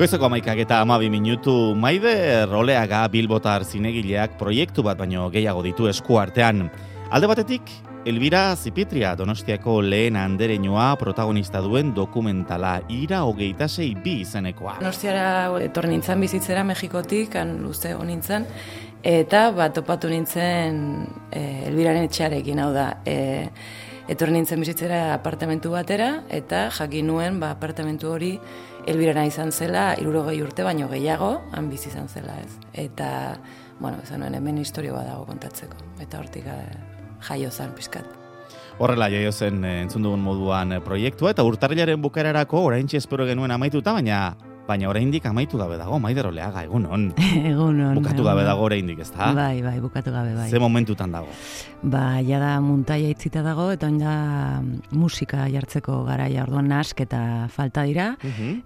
Goizeko 11:12 Maider Oleaga bilbotar zinegileak proiektu bat baino gehiago ditu esku artean. Alde batetik, Elbira Zipitria Donostiako lehen andereñoa protagonista duen dokumentala Ira 26 izenekoa. Donostiara etorri nintzen bizitzera Mexikotik, luze nintzen, eta topatu nintzen Elbiraren etxearekin, hau da, etorri nintzen bizitzera apartamentu batera, eta jakin nuen apartamentu hori Elbirana izan zela, 60 urte baino gehiago, han bizi izan zela, ez. Eta, esan nuen hemen historio bat dago kontatzeko, eta hortik jaio zen pizkat. Horrela jaio zen entzun dugun moduan proiektua, eta urtarrilaren bukaerarako oraintxe espero genuen amaituta, baina oraindik amaitu gabe dago, Maider Oleaga, egunon. Egunon. Bukatu gabe dago oraindik, ezta? Bai, bukatu gabe, bai. Ze momentutan dago? Jada muntaia itzita dago, eta da musika jartzeko garaia, orduan nasketa falta dira,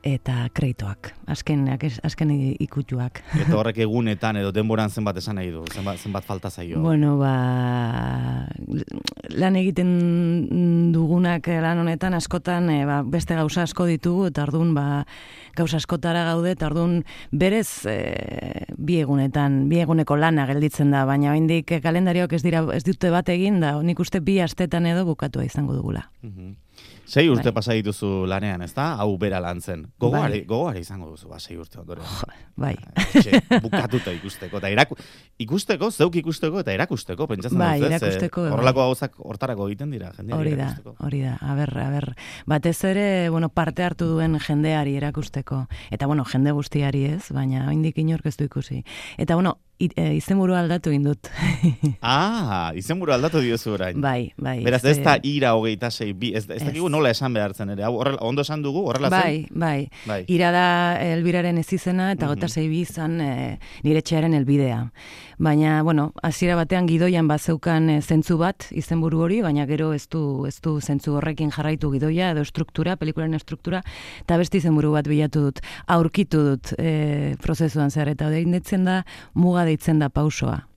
eta kreditoak, azken ikutuak. Eta horrek egunetan edo denboran zenbat esan nahi du, zenbat falta zaio? Bueno, lan egiten dugunak lan honetan askotan beste gauza asko ditugu, eta orduan gauza askotara gaude, eta orduan berez bi eguneko lana gelditzen da, baina oraindik kalendarioak ez dute bat egin da, nik uste 2 astetan edo bukatua izango dugula. 6 urte pasa dituzu lanean, ezta? Hau bera lan zen. Gogoari izango duzu, 6 urte ondoren. Bai. Bukatuta ikusteko, eta ikusteko, zeuk ikusteko, eta erakusteko, pentsatzen dut, ez? Erakusteko. Horrelako gauzak hortarako egiten dira, jendeari erakusteko. Hori da, aber. Batez ere, parte hartu duen jendeari erakusteko. Eta, jende guztiari ez, baina oraindik inork ez du ikusi. Eta, izenburua aldatu indut. Izenburua aldatu diozu orain. Bai. Beraz, ez da Ira 26, ez dakigu nola esan behartzen ere. Ondo esan dugu, horrela zen? Bai. Ira da Elbiraren ez izena, eta 26 izan nire etxearen helbidea. Baina, hasiera batean gidoian bazeukan zentzu bat, izenburu hori, baina gero ez du zentzu horrekin jarraitu gidoia, edo struktura, pelikularen struktura, eta beste izenburu bat bilatu dut, aurkitu dut prozesuan zer, eta deitzen da muga deitzen da pausoa.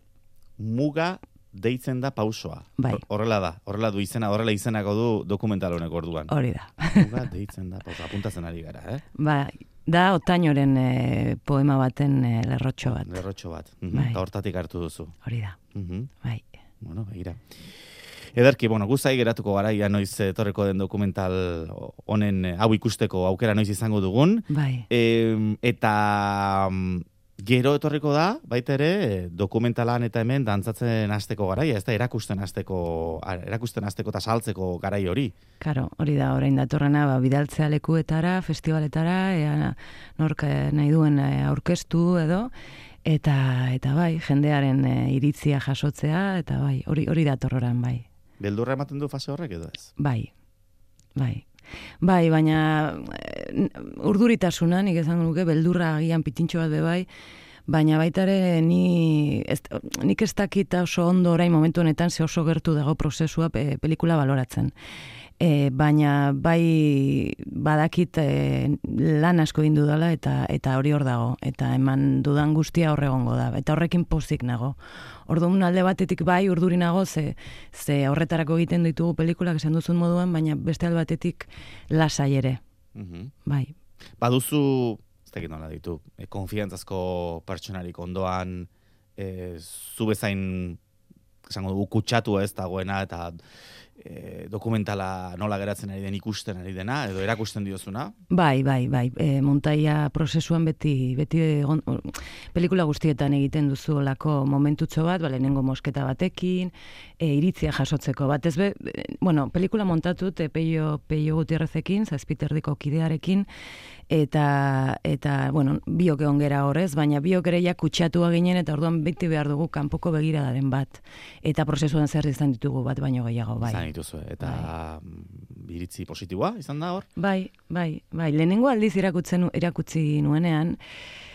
Muga deitzen da pausoa. Bai. Horrela du izena, horrela izenako du dokumental honek orduan. Hori da. Muga deitzen da pausoa, apuntatzen ari gara, Da Otañoren poema baten lerrotxo bat. Eta hortatik hartu duzu. Hori da, bai. Begira. Ederki, guzai geratuko gara, noiz etorreko den dokumental honen hau ikusteko aukera noiz izango dugun. Bai. Eta gero etorriko da, baita ere, dokumentalan eta hemen dantzatzen hasteko garaia, ez da erakusten hasteko eta saltzeko garai hori. Karo, hori da, orain datorrena, bidaltzea lekuetara, festivaletara, nork nahi duen aurkeztu edo, eta bai, jendearen iritzia jasotzea, eta bai, hori datorroran, bai. Beldurra ematen du fase horrek edo ez? Bai. Bai, baina urduritasuna, nik esango nuke, beldurra agian pitintxo bat bai, baina baita ere nik ez dakit oso ondo orain momentu honetan ze oso gertu dago prozesua pelikula baloratzen. Baina bai badakit lan asko egin dudala eta hori hor dago, eta eman dudan guztia hor egongo da, eta horrekin pozik nago. Orduan alde batetik bai urduri nago, ze horretarako egiten ditugu pelikulak esan duzun moduan, baina beste alde batetik lasai ere. Bai. Baduzu, ez dakit nola ditu, konfiantzazko pertsonarik ondoan, zu bezain, esango dugu, kutsatua ez dagoena, eta dokumentala nola geratzen ari den ikusten ari dena, edo erakusten diozuna? Bai. Montaia prozesuan beti pelikula guztietan egiten duzu olako momentutxo bat, lehenengo mosketa batekin, iritzia jasotzeko bat. Pelikula montatut Peio Gutierrezekin, Zazpiterdiko kidearekin, eta biok egon gera horrez, baina biok ere ja kutsatu ginen, eta orduan beti behar dugu kanpoko begiradaren bat. Eta prozesuan zer izan ditugu bat baino gehiago, bai. Dituzu, eta iritzi positiboa izan da hor? Bai. Lehenengo aldiz erakutsi nuenean,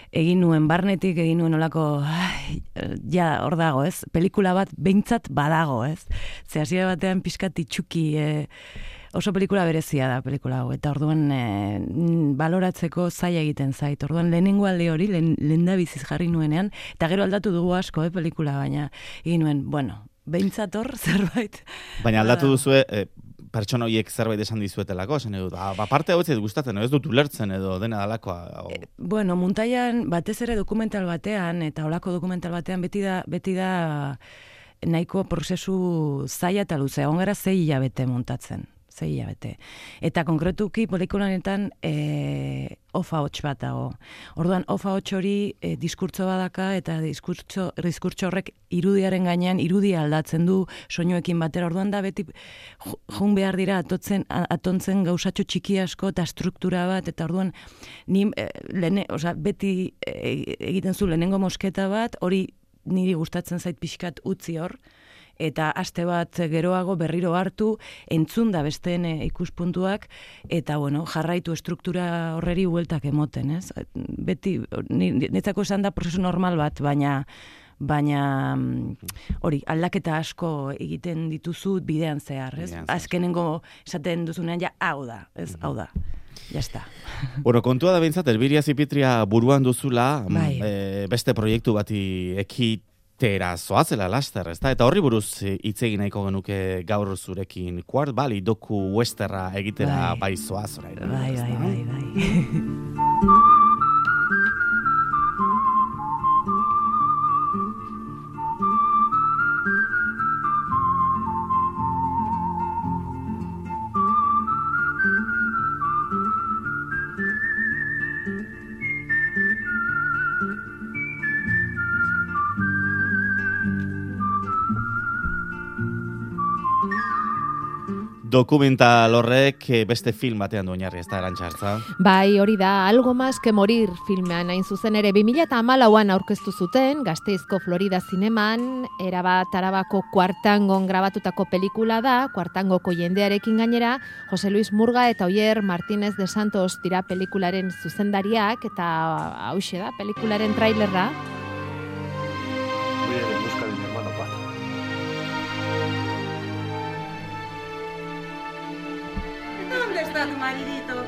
egin nuen barnetik, egin nuen olako, hor dago, ez? Pelikula bat behintzat badago, ez? Ze hasiera batean pixkat itxuki, oso pelikula berezia da pelikula hau, eta orduan baloratzeko zaila egiten zait. Orduan lehenengo alde hori, lehendabiziz jarri nuenean, eta gero aldatu dugu asko, pelikula, baina egin nuen, behintzat hor zerbait. Baina aldatu duzue, pertsona horiek zerbait esan dizuetelako, esan edo, parte hau ez gustatzen, ez dut ulertzen edo dena dalakoa. Bueno, Muntaian batez ere dokumental batean, eta holako dokumental batean beti da nahiko prozesu zaila eta luzea, ongara 6 hilabete montatzen. 6 hilabete. Eta konkretuki pelikulanetan ofa hots bat dago. Orduan, ofa hots hori diskurtso badaka eta diskurtso horrek irudiaren gainean irudia aldatzen du soinuekin batera. Orduan da beti jun behar dira atontzen gauzatxo txiki asko eta struktura bat, eta orduan beti egiten zu lehenengo mosketa bat, hori niri gustatzen zait pixkat utzi hor, eta aste bat geroago berriro hartu, entzun da besteen ikuspuntuak, eta bueno, jarraitu estruktura horreri bueltak emoten, ez? Beti, netzako esan da prozesu normal bat, baina hori, aldaketa asko egiten dituzu bidean zehar, ez? Azkenengo esaten duzunean, ja, hau da, ez? Hau da. Ya está. Bueno, kontua da behintzat, Elbiria Zipitria buruan duzula, beste proiektu bati ekitera zoazela laster, ezta? Eta horri buruz hitz egin nahiko genuke gaur zurekin. Quart Valley doku westerra egitera bai zoaz orain. Bai. Dokumental horrek beste film batean du oinarri, ez da, Arantxa? Bai, hori da, Algo más que morir filmean, hain zuzen ere 2014an aurkeztu zuten, Gasteizko Florida Zineman, erabat Arabako Kuartangon grabatutako pelikula da, Kuartangoko jendearekin gainera, Jose Luis Murga eta Oier Martínez de Santos dira pelikularen zuzendariak, eta hauxe da, pelikularen trailerra. Voy a ir en busca de mi hermano Pat. ¿Dónde está tu maridito?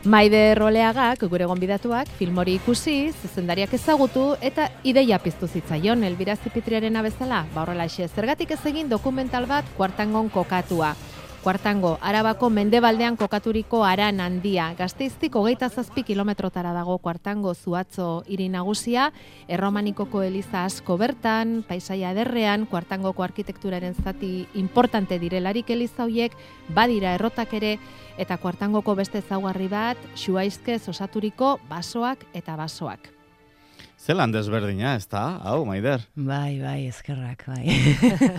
Maider Roleagak, gure gonbidatuak, film hori ikusi, zuzendariak ezagutu eta ideia piztu zitzaion Elbira Zipitriarena bezala. Horrelaxe, zergatik ez egin dokumental bat Kuartangon kokatua. Kuartango, Arabako mendebaldean kokaturiko aran handia. Gasteiztik 27 kilometrotara dago Kuartango Zuatzo hiri nagusia, erromanikoko eliza asko bertan, paisaia ederrean, Kuartangoko arkitekturaren zati importante direlarik eliza hoiek, badira errotak ere, eta Kuartangoko beste ezaugarri bat, xuaizkez osaturiko basoak eta basoak. Zelan desberdina, ez da? Hau, Maider. Bai, eskerrak, bai.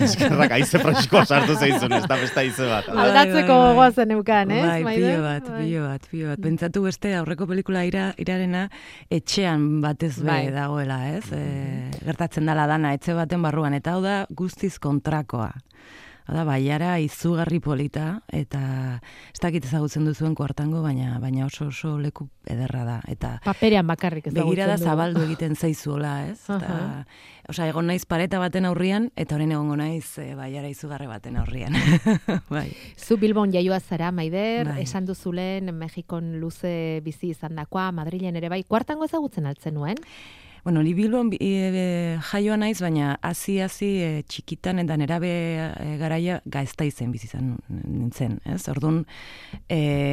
Eskerrak, aize freskoa sartu zeizun, ez da beste aize bat. Aldatzeko gogoazen eukan, ez, Maider? Pilo bat. Pentsatu beste aurreko pelikula irarena etxean batez dagoela, ez? Gertatzen dala dana, etxe baten barruan, eta hau da guztiz kontrakoa. Da, baiara izugarri polita, eta ez dakit ezagutzen duzuen Kuartango, baina oso leku ederra da. Eta paperean bakarrik ezagutzen du. Begirada zabaldu egiten zaizuela, ez? Eta, egon naiz pareta baten aurrian, eta orain egongo naiz baiara izugarri baten aurrian. Bai. Zu Bilbon jaioa zara, Maider, esan duzulen Mexikon luze bizi izandakoa, Madrilen ere bai. Kuartango ezagutzen altzen nuen? Bueno, ni Bilbon jaioa naiz, baina hasi txikitan eta nerabe garaia Gasteizen bizi izan nintzen, ez? Orduan,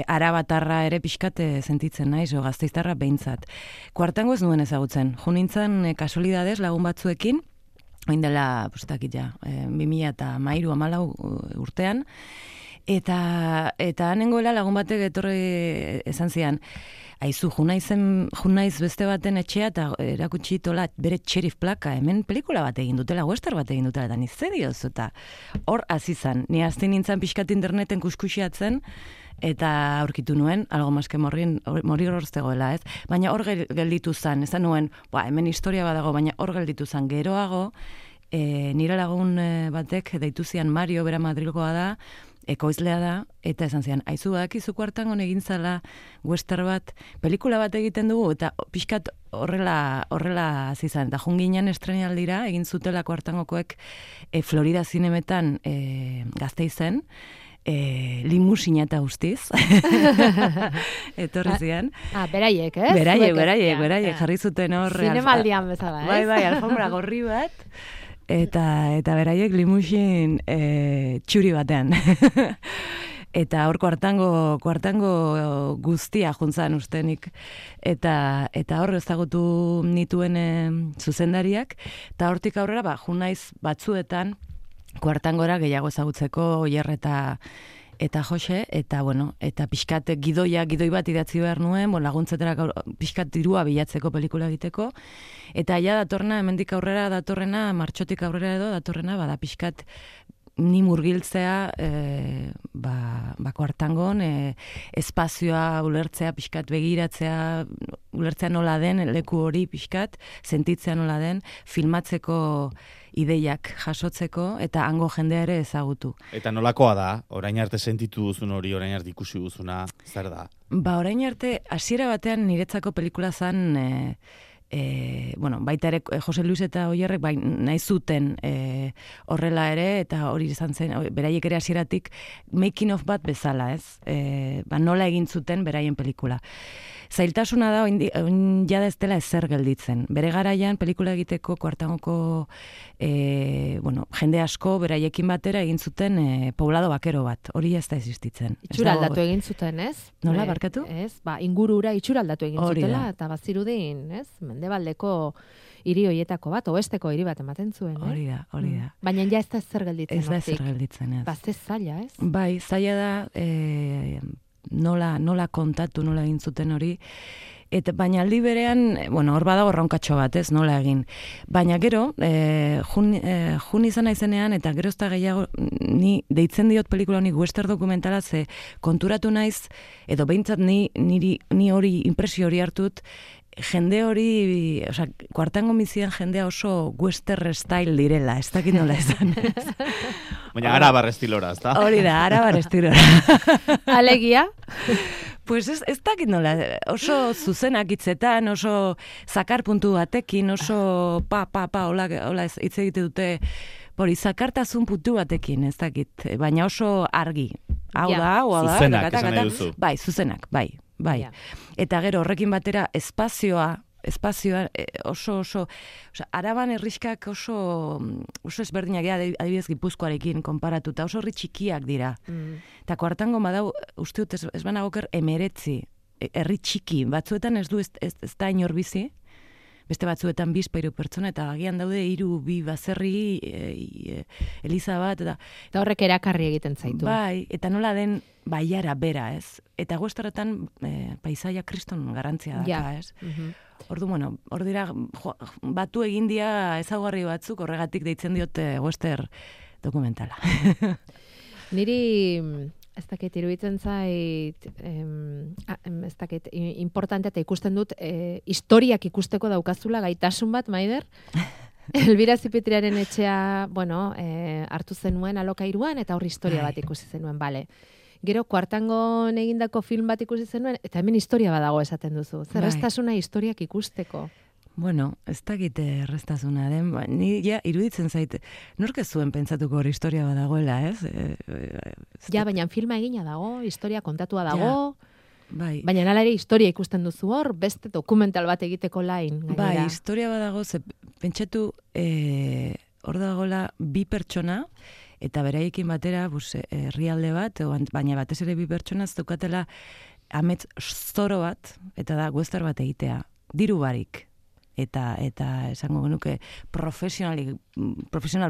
arabatarra ere pixkat sentitzen naiz, o gasteiztarra behintzat. Kuartango ez nuen ezagutzen. Jo nintzen kasualidadez lagun batzuekin, oin dela, postakit ja, 2013-14 urtean, eta hanengoela lagun batek etorri esan zian, aizu, junaiz beste baten etxea eta erakutsi tola bere sheriff plaka, hemen pelikula bat egin dutela, western bat egin dutela, eta nizte diozu, eta hor azizan, ni azte nintzen pixkat interneten kuskusiatzen, eta aurkitu nuen, algo maske morir horztegoela, ez? Baina hor gelditu zan, ezan nuen, hemen historia badago, baina hor gelditu zan, geroago, nire lagun batek deitu zian Mario, bera Madrilgoa da, ekoizlea da, eta esan zian, aizu badakizu Kuartangon egin zala western bat, pelikula bat egiten dugu, eta pixkat horrela azizan, eta junginen estrenaldira, egin zutela Kuartangokoek Florida Zinemetan Gasteizen, limusina eta guztiz. Etorri zian. Beraiek, ez? Beraiek, jarri zuten hor. Zinemaldian bezala, ez? Bai, alfombra gorri bat. eta beraiek limusin txuri batean. Eta hor kuartango guztia juntzan ustenik. Eta hor ezagutu nituen zuzendariak, eta hortik aurrera, junaiz batzuetan, kuartangora gehiago ezagutzeko Oier eta Jose, eta eta pixkat gidoi bat idatzi behar nuen, laguntzetara pixkat dirua bilatzeko pelikula egiteko, eta ja datorrena, hemendik aurrera datorrena, martxotik aurrera edo datorrena, bada pixkat ni murgiltzea kuartangon, espazioa ulertzea, pixkat begiratzea, ulertzea nola den, leku hori pixkat, sentitzea nola den, filmatzeko ideiak jasotzeko, eta hango jendea ere ezagutu. Eta nolakoa da? Orain arte sentitu duzun hori, orain arte ikusi duzuna, zer da? Orain arte, hasiera batean niretzako pelikula zan, baita ere Jose Luis eta Oierrek nahi zuten horrela ere, eta hori izan zen, beraiek ere hasieratik making of bat bezala, ez? Nola egin zuten beraien pelikula. Zailtasuna da, oin jada ez dela ezer gelditzen. Bere garaian pelikula egiteko kuartangoko jende asko beraiekin batera egin zuten poblado bakero bat. Hori ez da existitzen. Itxura aldatu egin zuten, ez? Nola, barkatu? Ez, ingurura itxura aldatu egin zutela, eta bazirudin, ez? Mendebaldeko hiri hoietako bat, oesteko hiri bat ematen zuen, Hori da. Baina ja ez da ezer gelditzen. Ez da ezer gelditzen, ez. Bazte zaila, ez? Bai, zaila da nola kontatu, nola egin zuten hori, baina aldi berean, hor badago erronkatxo bat, ez, nola egin. Baina gero, jun izan naizenean, eta gero ez da gehiago, ni deitzen diot pelikula honi western dokumentala, ze konturatu naiz, edo behintzat ni hori, impresio hori hartut, jende hori, kuartango mizian jendea oso western style direla, ez dakit nola esan. Baina arabar estilora, ez da? Hori da, arabar estilora. Alegia? Pues ez dakit nola, oso zuzenak hitzetan, oso zakar puntu batekin, oso hola hitz egite dute, hori zakartasun puntu batekin, ez dakit, baina oso argi. Hau da. Zuzenak, esan nahi duzu. Bai, zuzenak, bai. Yeah. Eta gero horrekin batera espazioa oso Araban herrixkak oso ezberdinak dira, adibidez Gipuzkoarekin konparatuta, oso herri txikiak dira. Eta kuartango badau, uste dut ez banagoker 19 herri txiki, batzuetan ez da inor bizi, beste batzuetan 2-3 pertsona, eta agian daude 3-2 baserri, eliza bat, eta horrek erakarri egiten zaitu. Bai, eta nola den baiara bera, ez? Eta westernetan paisaia kriston garantzia daka, ez? Ordu, hor dira, batu egin dia ezaugarri batzuk, horregatik deitzen diote western dokumentala. Niri, ez dakit, iruditzen zait, ez dakit, importante eta ikusten dut, historiak ikusteko daukazula gaitasun bat, Maider? Elbira Zipitriaren etxea, hartu zenuen alokairuan, eta hor historia bat ikusi zenuen, bale. Gero, kuartangon egindako film bat ikusi zenuen, eta hemen historia badago esaten duzu. Zerreztasuna historiak ikusteko. Ez dakit erreztasuna den, ni iruditzen zait, nork ez zuen pentsatuko hori historia badagoela, ez? Baina filma egina dago, historia kontatua dago, bai. Baina nala ere historia ikusten duzu hor, beste dokumental bat egiteko lain. Bai, historia badago, pentsatu hor dagoela 2 pertsona, eta beraiekin batera herrialde bat, baina batez ere 2 pertsona daukatela amets zoro bat, eta da western bat egitea, diru barik. Eta esango genuke profesional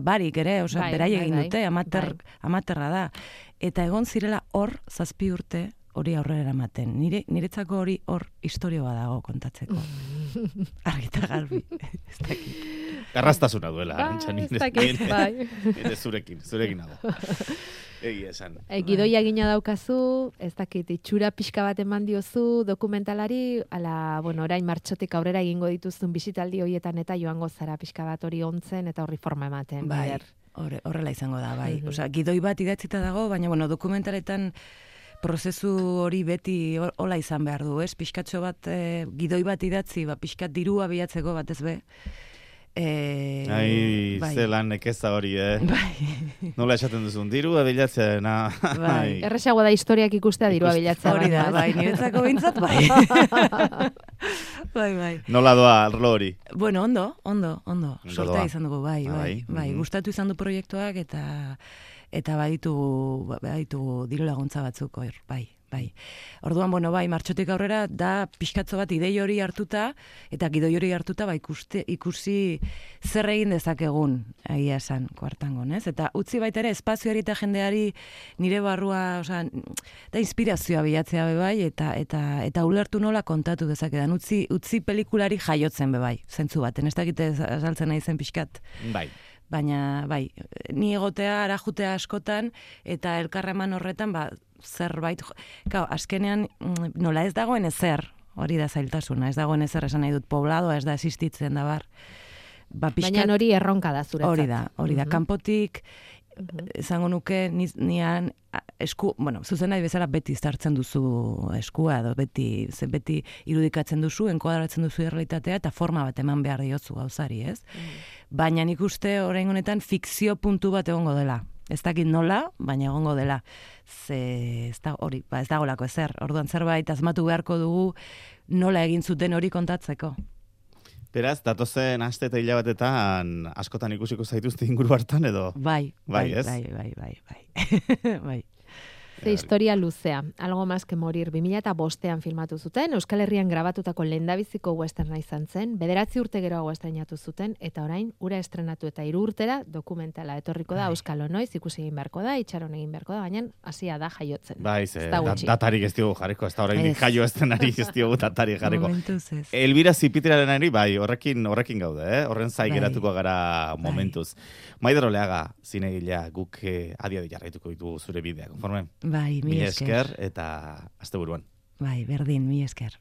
barik ere, beraiek egin dute, amaterra da. Eta egon zirela hor 7 urte hori aurrera ematen. Niretzako hori hor historia badago kontatzeko. Argita garbi. Ez dakit. Garrastasuna duela, arintxan. Ez dakit, bai. Zurekin nago. Egia esan. Gidoia egina daukazu, ez dakit, itxura pixka bat eman diozu dokumentalari, orain martxotik aurrera egingo dituzun bisitaldi horietan eta joango zara pixka bat hori ontzen eta horri forma ematen. Bai, horrela izango da, bai. Gidoi bat idatzita dago, baina dokumentaletan prozesu hori beti hola izan behar du, ez? Pixkatxo bat, gidoi bat idatzi, pixkat dirua bilatzeko bat ez be. Bai. zelan nekeza hori, Bai. Nola esaten duzun, dirua bilatzen, Bai. Erresago da historiak ikustea dirua bilatzea. Hori da, baino, ez? bai, niretzako behintzat, bai. Bai. Nola doa arlo hori? Bueno, ondo. Ondo Sortea doa. izan dugu, bai. Gustatu izan du proiektuak eta baditu diru laguntza batzuk hor, bai. Orduan, bai, martxotik aurrera da pixkatzo bat idei hori hartuta eta gidoi hori hartuta ikusi zer egin dezakegun, egia esan, kuartangon, ez? Eta utzi baita ere espazioari eta jendeari nire barrua, da inspirazioa bilatzea bai eta ulertu nola kontatu dezakedan. Utzi pelikulari jaiotzen bai, zentzu baten, ez dakite azaltzen nahi zen pixkat. Bai. Baina, bai, ni egotea, arajutea askotan, eta elkarreman horretan, zerbait, azkenean nola ez dagoen ezer, hori da zailtasuna, ez dagoen ezer esan nahi dut pobladoa, ez da existitzen da bar. Baina hori erronka da zuretzat. Hori da, kanpotik, esango nuke, nian zuzen nahi bezala beti zartzen duzu eskua, edo beti irudikatzen duzu, enkoadratzen duzu errealitatea, eta forma bat eman behar diozu gauzari, ez? Baina nik uste orain honetan fikzio puntu bat egongo dela. Ez dakit nola, baina egongo dela. Ez dagolako ezer. Orduan zerbait asmatu beharko dugu nola egin zuten hori kontatzeko. Beraz, datozen aste eta hilabatetan askotan ikusiko zaituzte inguru hartan edo? Bai. Ez? Bai. Ze historia luzea, algo más que morir 2005an filmatu zuten, Euskal Herrian grabatutako lehendabiziko westerna izan zen, 9 urte geroago estrenatu zuten, eta orain, ura estrenatu eta 3 urtera dokumentala etorriko da, Euskal Noiz, ikusi egin beharko da, itxaron egin beharko da, baina hasia da jaiotzen. Bai, datarik ez diogu jarriko, ez da orain jaio estrenari ez diogu datarik jarriko. Momentuz ez. Elbira Zipitriarenari, bai, horrekin gaude, horren zai geratuko gara momentuz. Maider Oleaga, zinegilea, guk adi jarraituko ditugu zure bidea, konforme? Bai, mi esker. Eta asteburuan. Bai, berdin, mi esker.